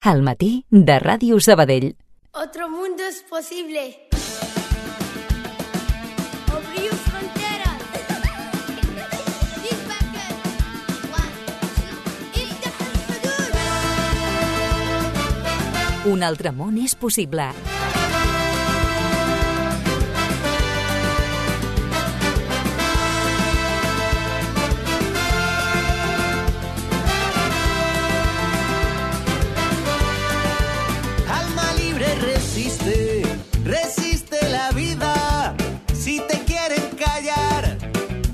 Al matí de Ràdio Sabadell. Otro mundo es posible. Abriu fronteres. Un altre món és possible. Resiste la vida. Si te quieren callar,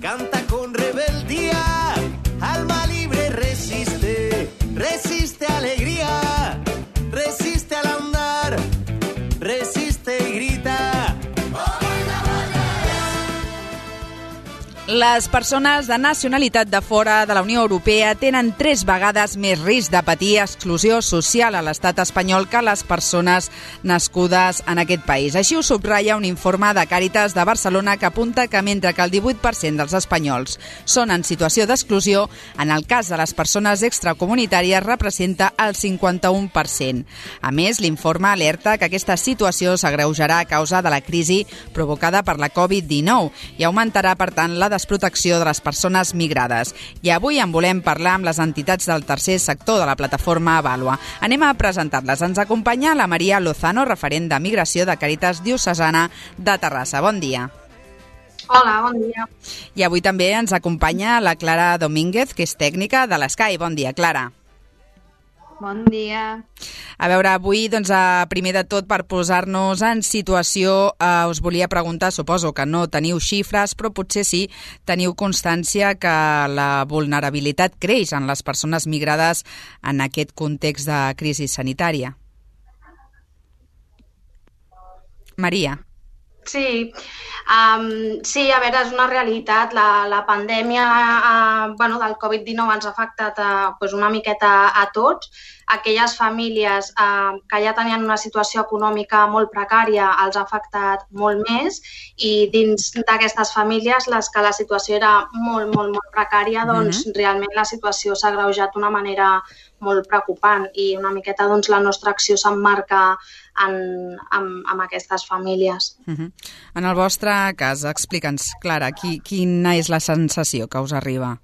canta con rebeldía. Alma libre resiste, resiste alegría, resiste al andar, resiste y grita. Les persones de nacionalitat de fora de la Unió Europea tenen 3 vegades més risc de patir exclusió social a l'estat espanyol que les persones nascudes en aquest país. Així ho subratlla un informe de Càritas de Barcelona que apunta que mentre que el 18% dels espanyols són en situació d'exclusió, en el cas de les persones extracomunitàries representa el 51%. A més, l'informe alerta que aquesta situació s'agreujarà a causa de la crisi provocada per la Covid-19 i augmentarà, per tant, la desprotecció de les persones migrades. I avui en volem parlar amb les entitats del tercer sector de la plataforma Avalua. Anem a presentar-les. Ens acompanya la Maria Lozano, referent de migració de Càritas Diocesana de Terrassa. Bon dia. Hola, bon dia. I avui també ens acompanya la Clara Domínguez, que és tècnica de l'Escai. Bon dia, Clara. Bon dia. A veure, avui, doncs, primer de tot, per posar-nos en situació, us volia preguntar, suposo que no teniu xifres, però potser sí teniu constància que la vulnerabilitat creix en les persones migrades en aquest context de crisi sanitària. Maria. Sí, a veure, és una realitat. La pandèmia del Covid-19 ens ha afectat una miqueta a tots. Aquelles famílies que ja tenien una situació econòmica molt precària els ha afectat molt més, i dins d'aquestes famílies, les que la situació era molt, molt, molt precària, doncs realment la situació s'ha agreujat d'una manera molt preocupant, i una miqueta la nostra acció s'emmarca amb aquestes famílies. En el vostre cas, explica'ns, Clara, quina és la sensació que us arriba?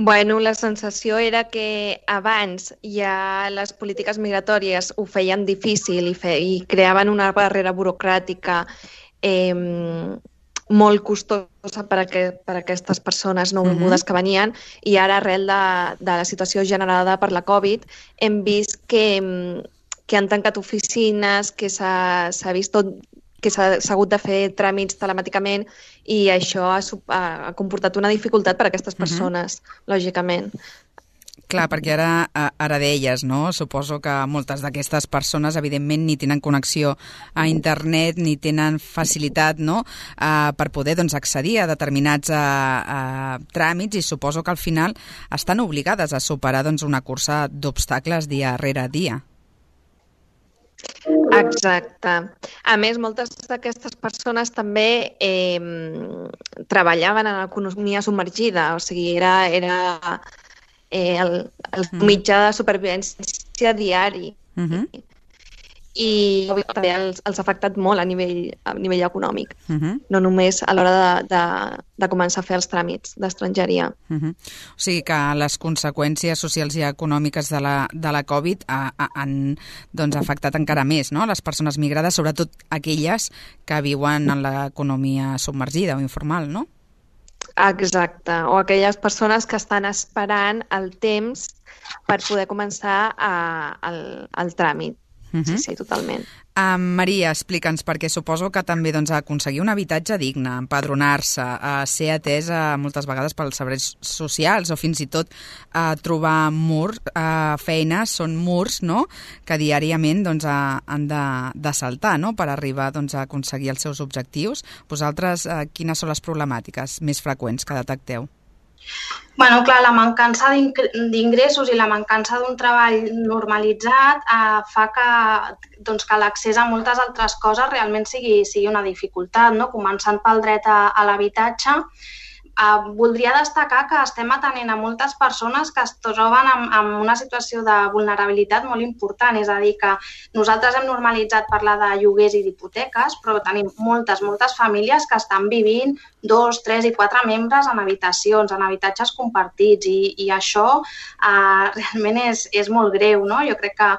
Bueno, la sensació era que abans ja les polítiques migratòries ho feien difícil i creaven una barrera burocràtica molt costosa per a aquestes persones nouvingudes que venien, i ara, arrel de la situació generada per la Covid, hem vist que han tancat oficines, que s'ha vist tot, que s'ha hagut de fer tràmits telemàticament, i això ha comportat una dificultat per a aquestes persones, lògicament. Clar, perquè ara deies, no? Suposo que moltes d'aquestes persones, evidentment, ni tenen connexió a internet, ni tenen facilitat, no?, per poder accedir a determinats tràmits, i suposo que al final estan obligades a superar una cursa d'obstacles dia rere dia. Exacte. A més, moltes d'aquestes persones també treballaven en l'economia submergida, o sigui, era el mitjà de supervivència diari. I també els ha afectat molt a nivell econòmic, no només a l'hora de començar a fer els tràmits d'estrangeria. O sigui que les conseqüències socials i econòmiques de la Covid han afectat encara més, no?, les persones migrades, sobretot aquelles que viuen en l'economia submergida o informal, no? Exacte, o aquelles persones que estan esperant el temps per poder començar el tràmit. Sí, totalment. Maria, explica'ns, perquè suposo que també aconseguir un habitatge digne, empadronar-se, ser atesa moltes vegades pels serveis socials, o fins i tot trobar feines, són murs, no?, que diàriament han de saltar, no?, per arribar a aconseguir els seus objectius. Vosaltres, quines són les problemàtiques més freqüents que detecteu? Bueno, clar, la mancança d'ingressos i la mancança d'un treball normalitzat fa que l'accés a moltes altres coses realment sigui una dificultat, no? Començant pel dret a l'habitatge, voldria destacar que estem atenent a moltes persones que es troben en una situació de vulnerabilitat molt important, és a dir, que nosaltres hem normalitzat parlar de lloguers i d'hipoteques, però tenim moltes famílies que estan vivint 2, 3 i 4 membres en habitacions, en habitatges compartits, i això realment és molt greu, no? Jo crec que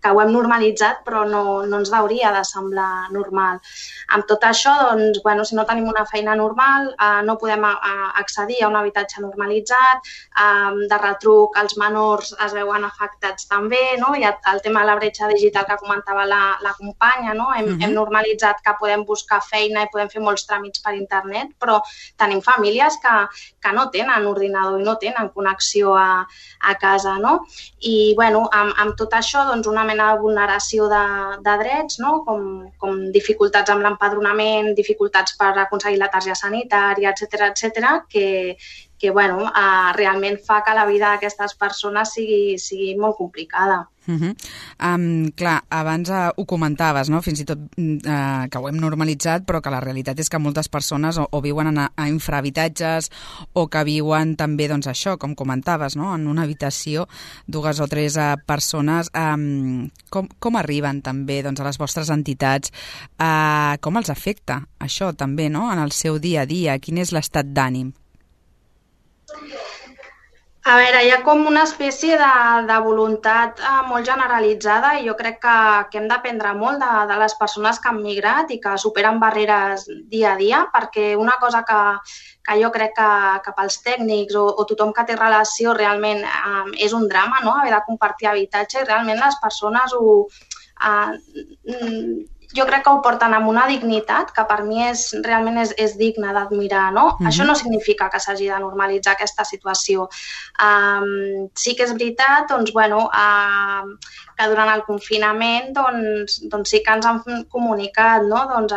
ho hem normalitzat, però no ens hauria de semblar normal. Amb tot això, doncs, bueno, si no tenim una feina normal, no podem accedir a un habitatge normalitzat, de retruc els menors es veuen afectats també, no? Hi ha el tema de la bretxa digital que comentava la companya, no? Hem normalitzat que podem buscar feina i podem fer molts tràmits per internet, però tenim famílies que no tenen ordinador i no tenen connexió a casa, no? I, bueno, amb tot això, doncs, una mena de vulneració de drets, no? Com dificultats amb l'empadronament, dificultats per aconseguir la targeta sanitària, etcètera, que bueno, realment fa que la vida d'aquestes persones sigui molt complicada. Clar, abans ho comentaves, no? Fins i tot que ho hem normalitzat, però que la realitat és que moltes persones o viuen a infrahabitatges o que viuen també, doncs això, com comentaves, no? En una habitació, 2 o 3 persones. Com arriben també, doncs, a les vostres entitats? Com els afecta això també, no? En el seu dia a dia? Quin és l'estat d'ànim? A veure, hi ha com una espècie de voluntat molt generalitzada i jo crec que hem d'aprendre molt de les persones que han migrat i que superen barreres dia a dia, perquè una cosa que jo crec que pels tècnics o tothom que té relació realment és un drama, no? Haver de compartir habitatge, i realment les persones jo crec que ho porten amb una dignitat que per mi realment és digna d'admirar, no? Això no significa que s'hagi de normalitzar aquesta situació. Sí que és veritat, doncs, bueno, que durant el confinament doncs sí que ens han comunicat, no? Doncs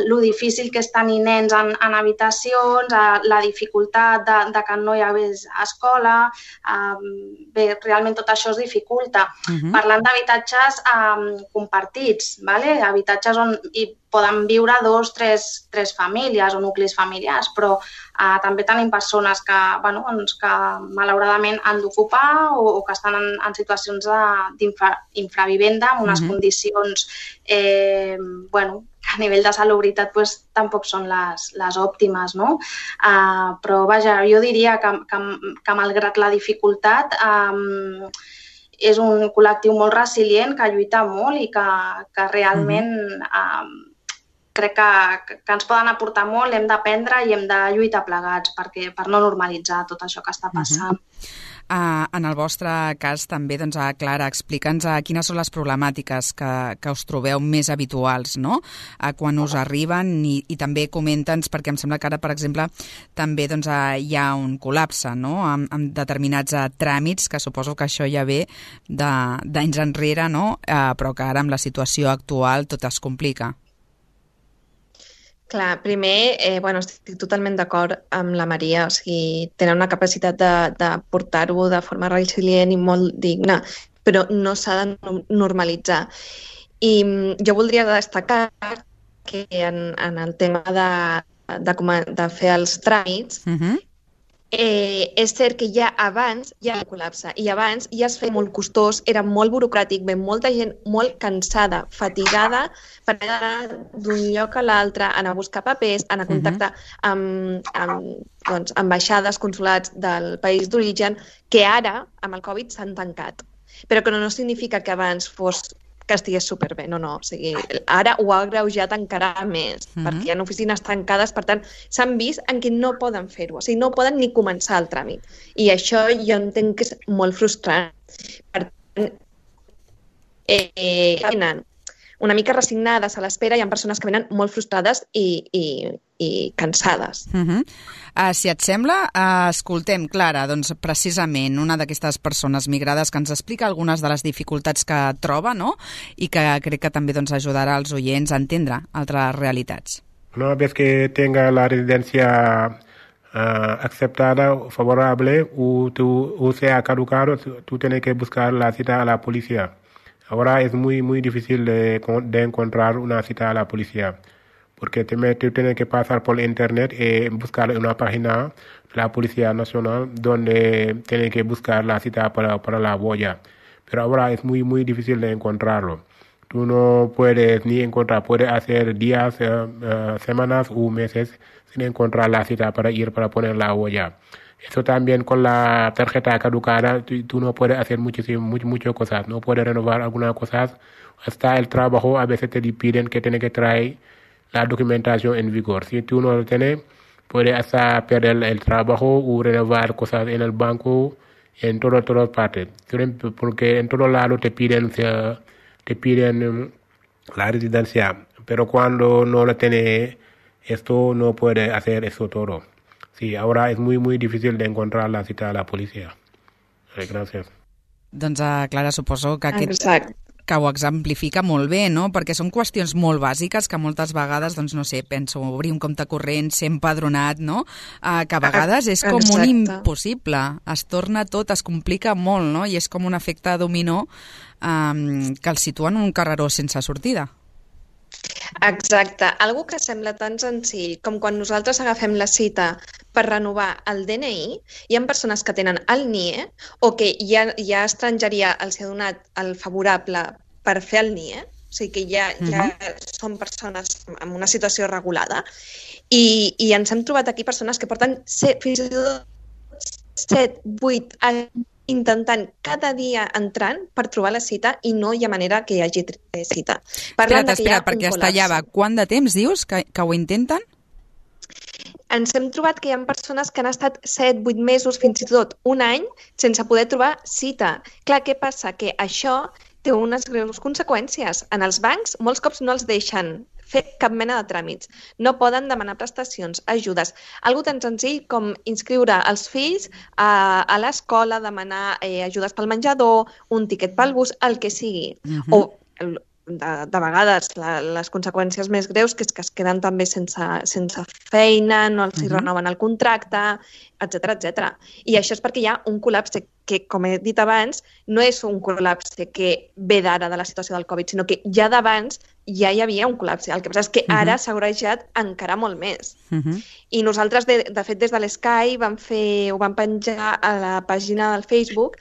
lo difícil que és tenir nens en habitacions, la dificultat de que no hi hagués escola, bé, realment tot això es dificulta. Parlant d'habitatges compartits, habitatges on hi poden viure 2, 3 famílies o nuclis familiars, però també tenim persones que malauradament han d'ocupar o que estan en situacions d'infravivenda, amb unes condicions que a nivell de salubritat tampoc són les òptimes, no? Però vaja, jo diria que malgrat la dificultat és un col·lectiu molt resilient, que lluita molt i que realment crec que ens poden aportar molt, hem d'aprendre i hem de lluitar plegats per no normalitzar tot això que està passant. En el vostre cas també, doncs, Clara, explica'ns quines són les problemàtiques que us trobeu més habituals, no? Quan us arriben i també comenta'ns, perquè em sembla que ara, per exemple, també doncs, hi ha un col·lapse, no? Amb determinats tràmits, que suposo que això ja ve d'anys enrere, no? Però que ara amb la situació actual tot es complica. Clar, primer, estic totalment d'acord amb la Maria, o sigui, tenen una capacitat de portar-ho de forma resilient i molt digna, però no s'ha de normalitzar. I jo voldria destacar que en el tema de fer els tràmits, és cert que ja abans hi ha un col·lapse i abans ja es feia molt costós, era molt burocràtic, ve molta gent molt cansada, fatigada per anar d'un lloc a l'altre, anar a buscar papers, anar a contactar amb ambaixades, consulats del país d'origen, que ara, amb el Covid, s'han tancat. Però que no significa que abans fos que estigués superbé, no. O sigui, ara ho ha agreujat encara més, perquè hi ha oficines tancades, per tant, s'han vist en què no poden fer-ho, o sigui, no poden ni començar el tràmit. I això jo entenc que és molt frustrant. Per tant, venen una mica resignades a l'espera, hi ha persones que venen molt frustrades i cansades. Si et sembla, escoltem, Clara, doncs precisament una d'aquestes persones migrades que ens explica algunes de les dificultats que troba, no? I que crec que també ajudarà els oients a entendre altres realitats. Una vez que tenga la residencia aceptada, favorable, o sea caducado, tú tienes que buscar la cita a la policía. Ahora es muy difícil de encontrar una cita a la policía, porque tú tienes que pasar por internet y buscar una página de la Policía Nacional donde tienes que buscar la cita para la boya. Pero ahora es muy, muy difícil de encontrarlo. Tú no puedes ni encontrar, puedes hacer días, semanas o meses sin encontrar la cita para ir para poner la boya. Eso también con la tarjeta caducada, tú no puedes hacer muchas cosas, no puedes renovar algunas cosas. Hasta el trabajo a veces te piden que tienes que traer la documentación en vigor. Si tú no lo tienes, puedes hasta perder el trabajo o renovar cosas en el banco, en todas partes. Porque en todos lados te piden la residencia, pero cuando no lo tienes, esto no puede hacer eso todo. Sí, ahora es muy, muy difícil de encontrar la cita a la policía. Gràcies. Doncs, Clara, suposo que Exacte. que ho exemplifica molt bé, no? Perquè són qüestions molt bàsiques que moltes vegades, doncs no sé, penso obrir un compte corrent, ser empadronat, no? Que a vegades és com un impossible. Es torna tot, es complica molt, no? I és com un efecte dominó que el situa en un carreró sense sortida. Exacte. Algo que sembla tan senzill com quan nosaltres agafem la cita per renovar el DNI, hi ha persones que tenen el NIE o que ja estrangeria els ha donat el favorable per fer el NIE, o sigui que ja són persones en una situació regulada, i ens hem trobat aquí persones que porten fins i tot 7, 8 anys intentant cada dia entrant per trobar la cita i no hi ha manera que hi hagi cita. Espera't, perquè està allà. Quant de temps dius que ho intenten? Ens hem trobat que hi ha persones que han estat 7, 8 mesos, fins i tot un any, sense poder trobar cita. Clar, què passa? Que això té unes greus conseqüències. En els bancs, molts cops no els deixen fer cap mena de tràmits. No poden demanar prestacions, ajudes. Algo tan senzill com inscriure els fills a l'escola, demanar ajudes pel menjador, un tiquet pel bus, el que sigui. O de vegades les conseqüències més greus que és que es queden també sense feina, no els renoven el contracte, etc. I això és perquè hi ha un col·lapse que, com he dit abans, no és un col·lapse que ve d'ara de la situació del Covid, sinó que ja d'abans ja hi havia un col·lapse. El que passa és que ara s'ha agreujat encara molt més. I nosaltres, de fet, des de l'Sky ho vam penjar a la pàgina del Facebook,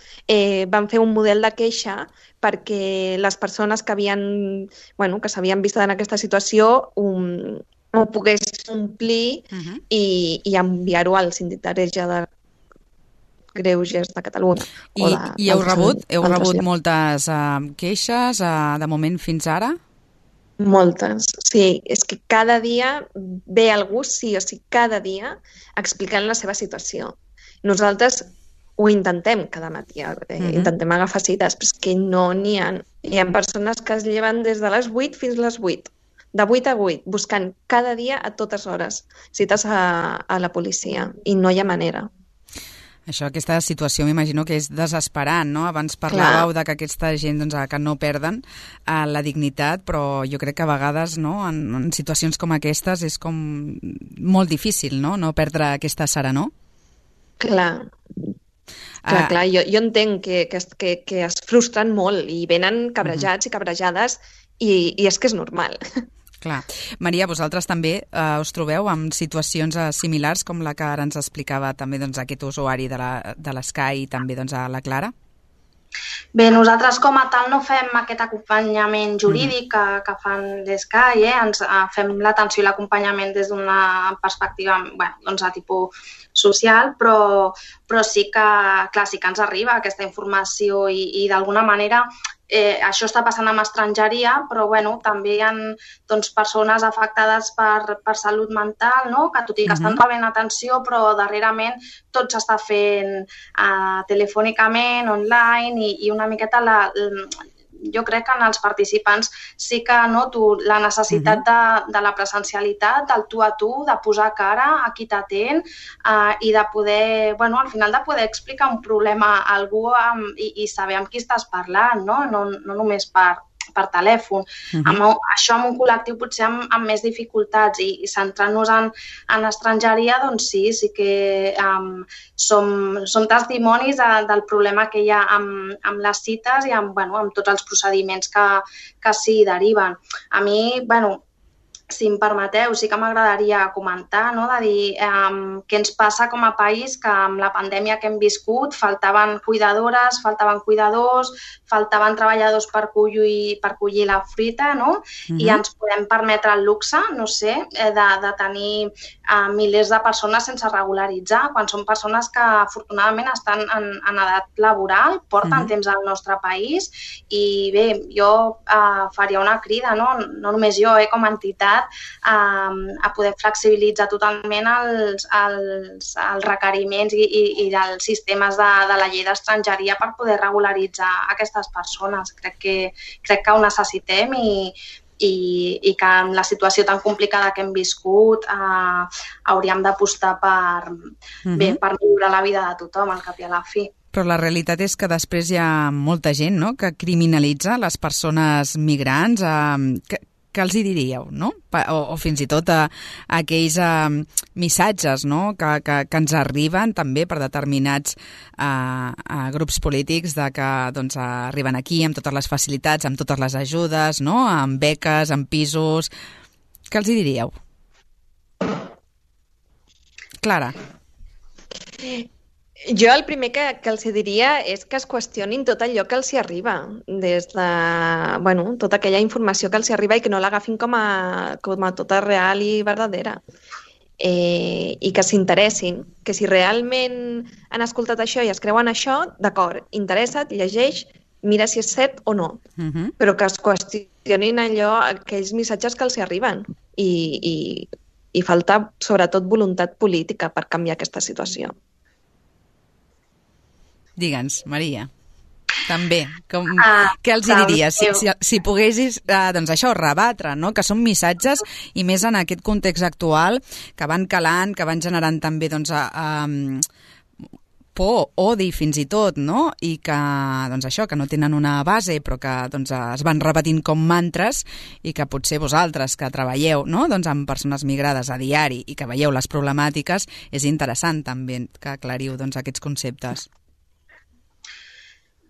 vam fer un model de queixa perquè les persones que s'havien vist en aquesta situació ho pogués omplir i enviar-ho al Síndic de Greuges de Catalunya. I heu rebut moltes queixes de moment fins ara? Moltes, sí. És que cada dia ve algú, sí o sí, cada dia explicant la seva situació. Nosaltres ho intentem cada matí, intentem agafar cites, però és que no n'hi ha. Hi ha persones que es lleven des de les 8 fins a les 8, de 8 a 8, buscant cada dia a totes hores cites a la policia, i no hi ha manera. Això, aquesta situació m'imagino que és desesperant, no? Abans parlàveu de que aquesta gent que no perden la dignitat, però jo crec que a vegades en situacions com aquestes és com molt difícil, no perdre aquesta serenor. Clar. Jo entenc que es frustren molt i venen cabrejats i cabrejades i és que és normal. Clar. Maria, vosaltres també us trobeu amb situacions similars com la que ara ens explicava també aquest usuari de l'Sky i també a la Clara? Bé, nosaltres com a tal no fem aquest acompanyament jurídic que fan l'Sky, ens fem l'atenció i l'acompanyament des d'una perspectiva de tipus social, però sí que ens arriba aquesta informació i d'alguna manera això està passant amb estrangeria, però també hi ha persones afectades per salut mental, que tot i que estan rebent atenció, però darrerament tot s'està fent telefònicament, online, i una miqueta jo crec que en els participants sí que noto la necessitat de la presencialitat, del tu a tu, de posar cara a qui t'atén i de poder, al final de poder explicar un problema a algú i saber amb qui estàs parlant, no només per telèfon. Això amb un col·lectiu potser amb més dificultats i centrant-nos en estrangeria, doncs sí que som testimonis del problema que hi ha amb les cites i amb tots els procediments que s'hi deriven. A mi, si em permeteu, sí que m'agradaria comentar, no? De dir què ens passa com a país, que amb la pandèmia que hem viscut faltaven cuidadores, faltaven cuidadors, faltaven treballadors per collir la fruita, no? I ens podem permetre el luxe, no sé, de tenir milers de persones sense regularitzar, quan són persones que afortunadament estan en edat laboral, porten temps al nostre país i bé, jo faria una crida, no només jo com a entitat, a poder flexibilitzar totalment els requeriments i els sistemes de la llei d'estrangeria per poder regularitzar aquestes persones. Crec que ho necessitem i que en la situació tan complicada que hem viscut hauríem d'apostar per millorar la vida de tothom al cap i a la fi. Però la realitat és que després hi ha molta gent, no?, que criminalitza les persones migrants. Què els hi diríeu, no? O fins i tot aquells missatges, no?, que ens arriben també per determinats grups polítics de que doncs, arriben aquí amb totes les facilitats, amb totes les ajudes, no?, amb beques, amb pisos. Què els hi diríeu? Clara. Jo el primer que els diria és que es qüestionin tot allò que els hi arriba, des de tota aquella informació que els hi arriba i que no l'agafin com a tota real i verdadera. I que s'interessin, que si realment han escoltat això i es creuen això, d'acord, interessa't, llegeix, mira si és cert o no, però que es qüestionin aquells missatges que els hi arriben i falta sobretot voluntat política per canviar aquesta situació. Digue'ns, Maria, també, què els diries si poguessis, doncs això, rebatre, no?, que són missatges i més en aquest context actual que van calant, que van generant també doncs, por, odi fins i tot, no?, i que, doncs això, que no tenen una base però que doncs, es van repetint com mantres i que potser vosaltres que treballeu, no?, doncs, amb persones migrades a diari i que veieu les problemàtiques, és interessant també que aclariu doncs, aquests conceptes.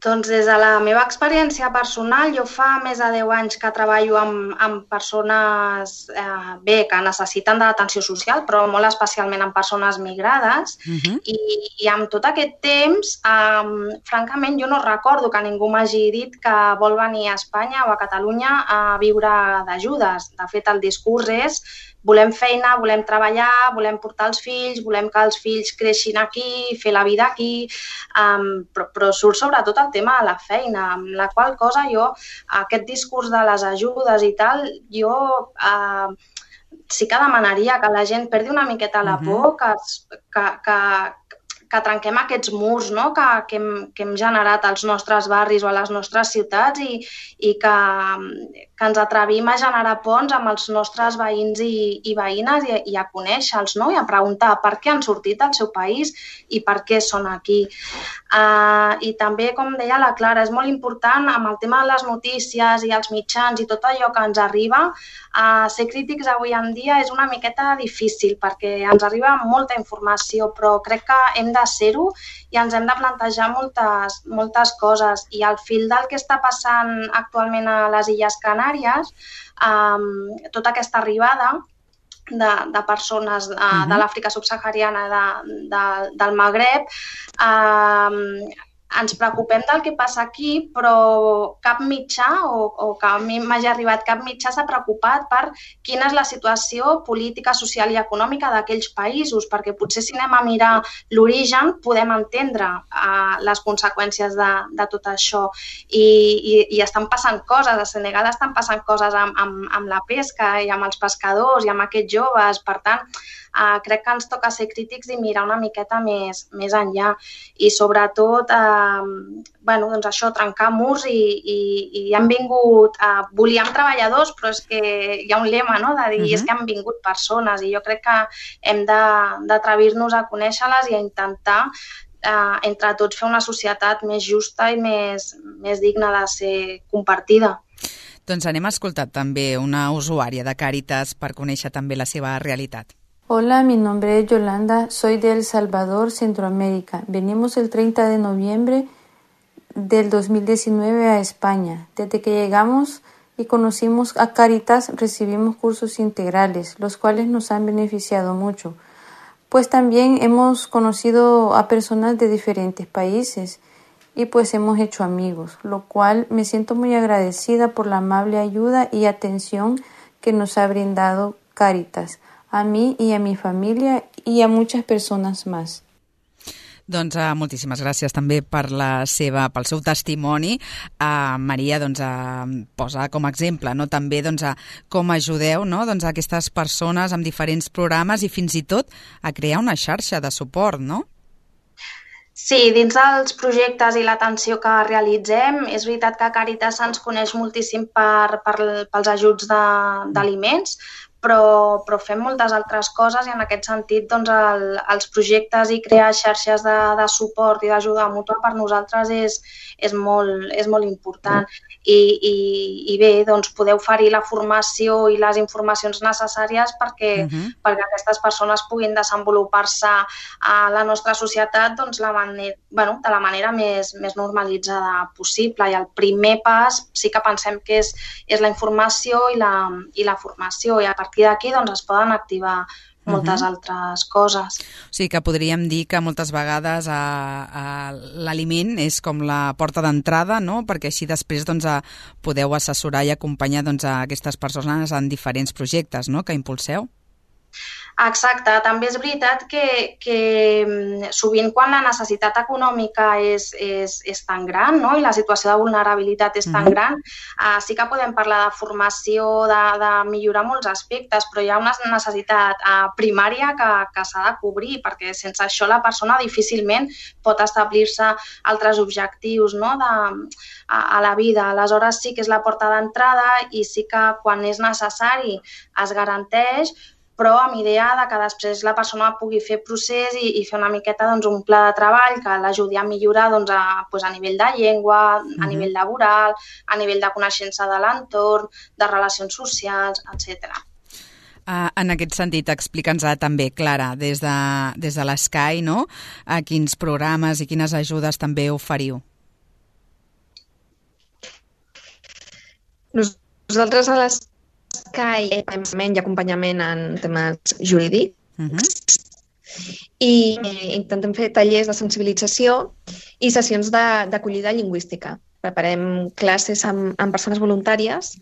Doncs des de la meva experiència personal, jo fa més de 10 anys que treballo amb persones que necessiten d'atenció social, però molt especialment amb persones migrades, i amb tot aquest temps, francament, jo no recordo que ningú m'hagi dit que vol venir a Espanya o a Catalunya a viure d'ajudes. De fet, el discurs és volem feina, volem treballar, volem portar els fills, volem que els fills creixin aquí, fer la vida aquí, però surt sobretot el tema de la feina, amb la qual cosa jo, aquest discurs de les ajudes i tal, jo sí que demanaria que la gent perdi una miqueta la por, que trenquem aquests murs, no?, que hem generat als nostres barris o a les nostres ciutats i que ens atrevim a generar ponts amb els nostres veïns i veïnes i a conèixer-los, no?, i a preguntar per què han sortit del seu país i per què són aquí. I també, com deia la Clara, és molt important amb el tema de les notícies i els mitjans i tot allò que ens arriba, ser crítics avui en dia és una miqueta difícil perquè ens arriba molta informació, però crec que hem de ser-ho i ens hem de plantejar moltes coses. I al fil del que està passant actualment a les Illes Canàries, tota aquesta arribada de persones de l'Àfrica subsahariana, del Magreb, ens preocupem del que passa aquí, però cap mitjà, o que a mi m'hagi arribat cap mitjà, s'ha preocupat per quina és la situació política, social i econòmica d'aquells països, perquè potser si anem a mirar l'origen podem entendre les conseqüències de tot això. I estan passant coses, a Senegal estan passant coses amb la pesca i amb els pescadors i amb aquests joves, per tant, crec que ens toca ser crítics i mirar una miqueta més enllà i sobretot doncs això, trencar murs i han vingut, volíem treballadors, però és que hi ha un lema, no?, de dir és que han vingut persones i jo crec que hem d'atrevir-nos a conèixer-les i a intentar entre tots fer una societat més justa i més digna de ser compartida. Doncs anem a escoltar també una usuària de Càritas per conèixer també la seva realitat. Hola, mi nombre es Yolanda, soy de El Salvador, Centroamérica. Venimos el 30 de noviembre del 2019 a España. Desde que llegamos y conocimos a Cáritas, recibimos cursos integrales, los cuales nos han beneficiado mucho. Pues también hemos conocido a personas de diferentes países y pues hemos hecho amigos, lo cual me siento muy agradecida por la amable ayuda y atención que nos ha brindado Cáritas, a mí y a mi familia y a muchas personas más. Doncs moltíssimes gràcies també pel seu testimoni. Maria posa com a exemple, no? També com ajudeu, no? Aquestes persones amb diferents programes i fins i tot a crear una xarxa de suport, no? Sí, dins dels projectes i l'atenció que realitzem, és veritat que Càritas ens coneix moltíssim pels ajuts d'aliments, però fem moltes altres coses i en aquest sentit els projectes i crear xarxes de suport i d'ajuda mútua per nosaltres és molt important. I bé, poder oferir la formació i les informacions necessàries perquè aquestes persones puguin desenvolupar-se a la nostra societat de la manera més normalitzada possible. I el primer pas sí que pensem que és la informació i la formació, i a partir d'aquí es poden activar moltes altres coses. O sigui que podríem dir que moltes vegades l'aliment és com la porta d'entrada, no? Perquè així després podeu assessorar i acompanyar a aquestes persones en diferents projectes, no? Que impulseu. Exacte, també és veritat que sovint quan la necessitat econòmica és tan gran, no? I la situació de vulnerabilitat és tan gran, sí que podem parlar de formació, de millorar molts aspectes, però hi ha una necessitat primària que s'ha de cobrir, perquè sense això la persona difícilment pot establir-se altres objectius, no? A la vida. Aleshores sí que és la porta d'entrada i sí que quan és necessari es garanteix, però amb idea que després la persona pugui fer procés i fer una miqueta un pla de treball que l'ajudi a millorar a nivell de llengua, a nivell laboral, a nivell de coneixença de l'entorn, de relacions socials, etc. En aquest sentit, explica'ns també, Clara, des de l'Sky, no? A quins programes i quines ajudes també oferiu? Nosaltres a l'Sky i acompanyament en temes jurídics i intentem fer tallers de sensibilització i sessions d'acollida lingüística. Preparem classes amb persones voluntàries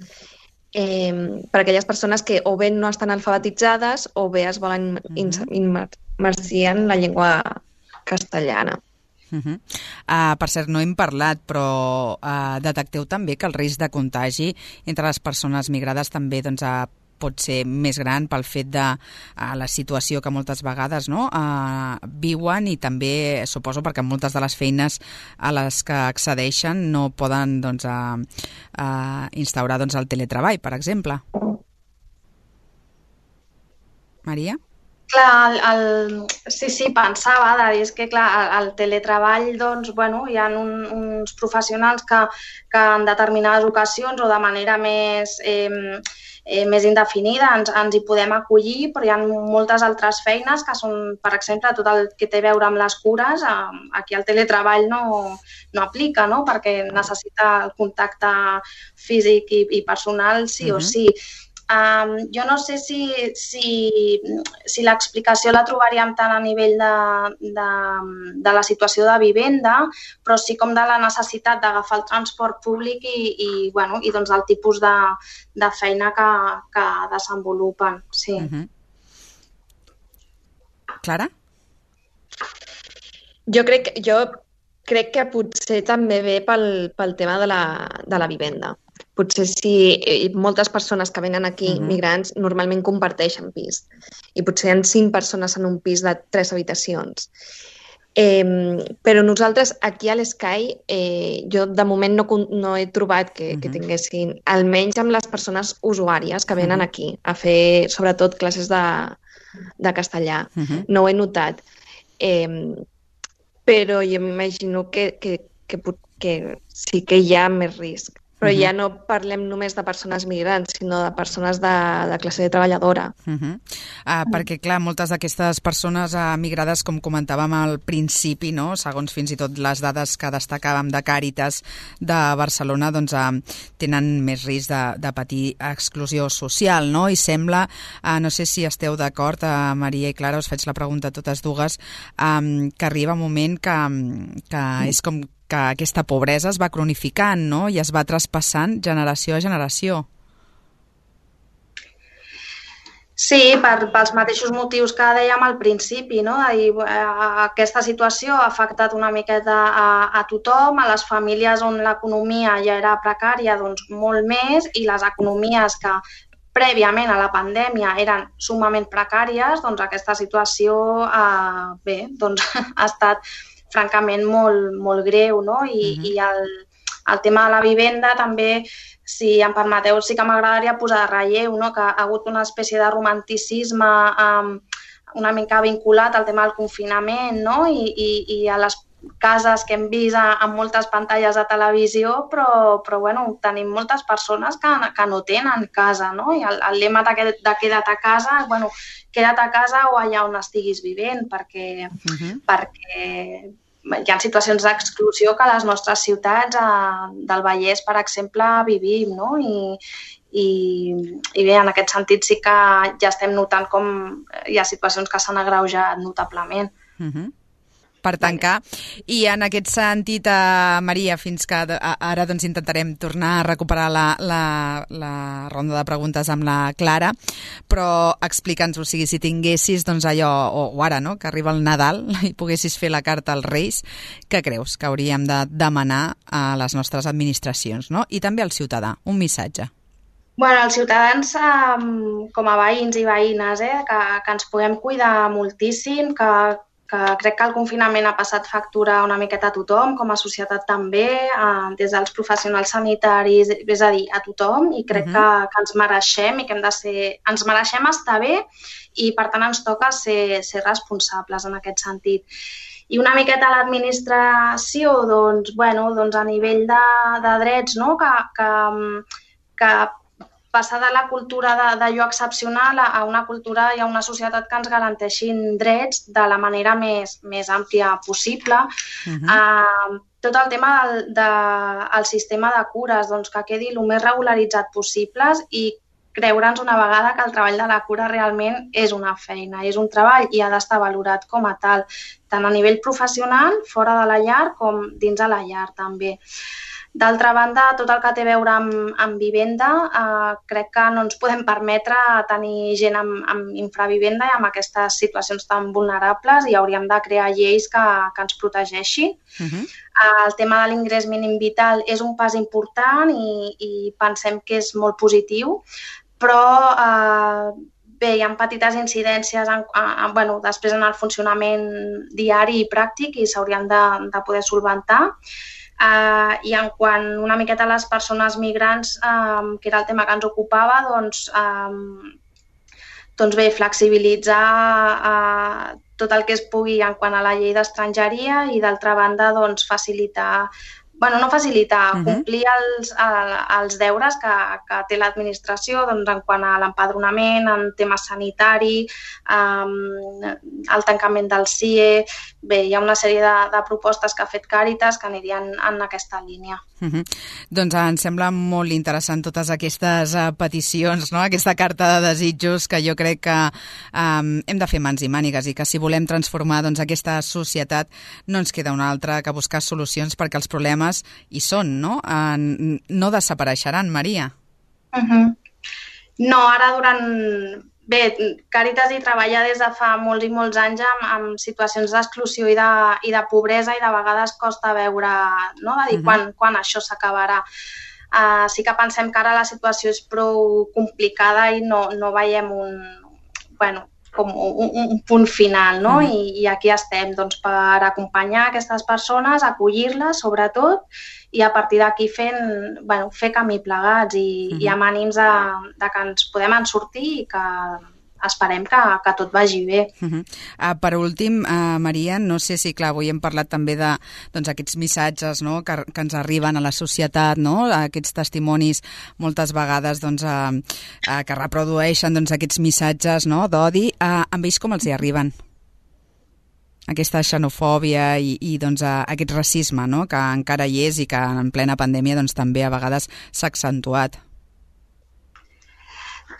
per a aquelles persones que o bé no estan alfabetitzades o bé es volen immergir en la llengua castellana. Per cert, no hem parlat, però detecteu també que el risc de contagi entre les persones migrades també pot ser més gran pel fet de la situació que moltes vegades viuen i també, suposo, perquè moltes de les feines a les que accedeixen no poden instaurar el teletreball, per exemple. Maria? Clar, sí, pensava de dir que el teletreball, hi ha uns professionals que en determinades ocasions o de manera més indefinida ens hi podem acollir, però hi ha moltes altres feines que són, per exemple, tot el que té a veure amb les cures, aquí el teletreball no aplica, no? Perquè necessita el contacte físic i personal sí o sí. Jo no sé si l'explicació la trobaríem tant a nivell de la situació de vivenda, però sí com de la necessitat d'agafar el transport públic i del tipus de feina que desenvolupen. Sí. Clara? Jo crec que potser també ve pel tema de la vivenda. Potser si moltes persones que venen aquí, migrants, normalment comparteixen pis. I potser hi ha 5 persones en un pis de 3 habitacions. Però nosaltres aquí a l'Sky, jo de moment no he trobat que tinguessin, almenys amb les persones usuàries que venen aquí a fer sobretot classes de castellà. No ho he notat. Però jo m'imagino que sí que hi ha més risc. però ja no parlem només de persones migrants, sinó de persones de classe treballadora. Perquè, clar, moltes d'aquestes persones migrades, com comentàvem al principi, no? Segons fins i tot les dades que destacàvem de Càritas de Barcelona, doncs tenen més risc de patir exclusió social, no? I sembla, no sé si esteu d'acord, Maria i Clara, us faig la pregunta a totes dues, que arriba un moment que és com que aquesta pobresa es va cronificant, no? I es va traspassant generació a generació. Sí, pels mateixos motius que dèiem al principi, no? Aquesta situació ha afectat una miqueta a tothom, a les famílies on l'economia ja era precària, doncs molt més, i les economies que prèviament a la pandèmia eren sumament precàries, doncs aquesta situació doncs ha estat francament molt greu, no? I el tema de la vivenda també, si em permeteu, sí que m'agradaria posar de relleu, no? Que ha hagut una espècie de romanticisme una mica vinculat al tema del confinament, no? I a les cases que hem vist amb moltes pantalles de televisió, però bueno, tenim moltes persones que no tenen casa, no? I el lema de queda't a casa, bueno, queda't a casa o allà on estiguis vivint, perquè hi ha situacions d'exclusió que a les nostres ciutats del Vallès, per exemple, vivim, no? I bé, en aquest sentit sí que ja estem notant com hi ha situacions que s'han agreujat notablement. Per tancar. I en aquest sentit, Maria, fins que ara doncs intentarem tornar a recuperar la ronda de preguntes amb la Clara, però explica'ns, o sigui, si tinguessis doncs allò, o ara, no?, que arriba el Nadal i poguessis fer la carta als Reis, què creus que hauríem de demanar a les nostres administracions, no? I també al ciutadà, un missatge. Bueno, els ciutadans, com a veïns i veïnes, que ens puguem cuidar moltíssim, que crec que el confinament ha passat factura una miqueta a tothom, com a societat també, des dels professionals sanitaris, és a dir, a tothom, i crec que ens mereixem i que ens mereixem estar bé i, per tant, ens toca ser responsables en aquest sentit. I una miqueta l'administració, doncs a nivell de drets, no?, que passar de la cultura d'allò excepcional a una cultura i a una societat que ens garanteixin drets de la manera més àmplia possible. Tot el tema del sistema de cures, doncs que quedi el més regularitzat possible i creure'ns una vegada que el treball de la cura realment és una feina, és un treball i ha d'estar valorat com a tal, tant a nivell professional, fora de la llar, com dins de la llar també. D'altra banda, tot el que té a veure amb vivenda, crec que no ens podem permetre tenir gent amb infravivenda i amb aquestes situacions tan vulnerables i hauríem de crear lleis que ens protegeixin. El tema de l'ingrés mínim vital és un pas important i pensem que és molt positiu, però bé, hi ha petites incidències després en el funcionament diari i pràctic i s'haurien de poder solventar. I en quant una miqueta a les persones migrants, que era el tema que ens ocupava, doncs bé, flexibilitzar tot el que es pugui en quant a la llei d'estrangeria i d'altra banda doncs facilitar, complir els deures que té l'administració en quant a l'empadronament, en temes sanitari, el tancament del CIE. Bé, hi ha una sèrie de propostes que ha fet Càritas que anirien en aquesta línia. Doncs em sembla molt interessant totes aquestes peticions, no? Aquesta carta de desitjos que jo crec que hem de fer mans i mànigues i que si volem transformar aquesta societat no ens queda una altra que buscar solucions perquè els problemes hi són, no? No desapareixeran, Maria. No, ara Bé, Càritas hi treballa des de fa molts i molts anys amb situacions d'exclusió i de pobresa i de vegades costa veure, no?, de dir quan això s'acabarà. Sí que pensem que ara la situació és prou complicada i no veiem un punt final, no? I aquí estem doncs, per acompanyar aquestes persones, acollir-les sobretot i a partir d'aquí fer camí plegats i amb ànims que ens podem en sortir i que esperem que tot vagi bé. Per últim, Maria, no sé si, clar, avui hem parlat també de aquests missatges, no?, que ens arriben a la societat, no?, aquests testimonis moltes vegades que reprodueixen aquests missatges, no?, d'odi. Amb ells com els hi arriben? Aquesta xenofòbia i aquest racisme, no?, que encara hi és i que en plena pandèmia també a vegades s'ha accentuat.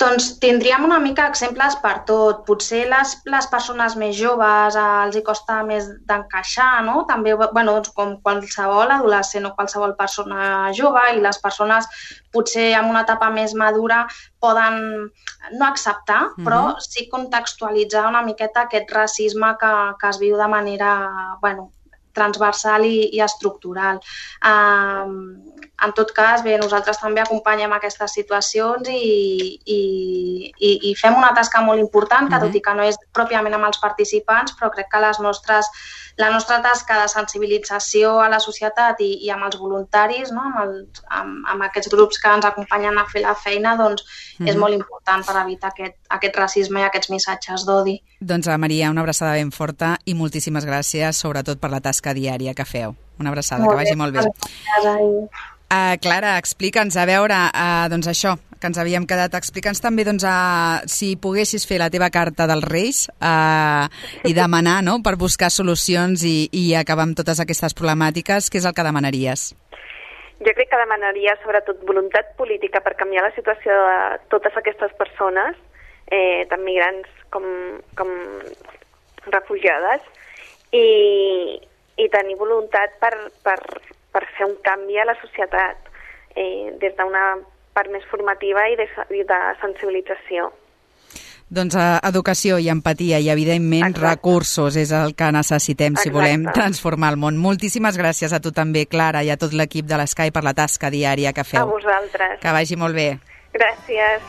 Doncs tindríem una mica exemples per tot. Potser les persones més joves els hi costa més d'encaixar, no? També, com qualsevol adolescent o qualsevol persona jove, i les persones potser en una etapa més madura poden no acceptar, però sí contextualitzar una miqueta aquest racisme que es viu de manera, transversal i estructural. En tot cas, bé, nosaltres també acompanyem aquestes situacions i fem una tasca molt important, que tot i que no és pròpiament amb els participants, però crec que la nostra tasca de sensibilització a la societat i amb els voluntaris, no?, amb aquests grups que ens acompanyen a fer la feina, és molt important per evitar aquest racisme i aquests missatges d'odi. Doncs, Maria, una abraçada ben forta i moltíssimes gràcies, sobretot per la tasca diària que feu. Una abraçada, que vagi molt bé. Clara, explica'ns, a veure, això, que ens havíem quedat, explica'ns també, si poguessis fer la teva carta dels Reis i demanar, no?, per buscar solucions i acabar amb totes aquestes problemàtiques, què és el que demanaries? Jo crec que demanaria sobretot voluntat política per canviar la situació de totes aquestes persones, tant migrants com refugiades, i tenir voluntat per fer un canvi a la societat des d'una part més formativa i de sensibilització. Doncs educació i empatia i, evidentment, recursos és el que necessitem si volem transformar el món. Moltíssimes gràcies a tu també, Clara, i a tot l'equip de l'Eskai per la tasca diària que feu. A vosaltres. Que vagi molt bé. Gràcies.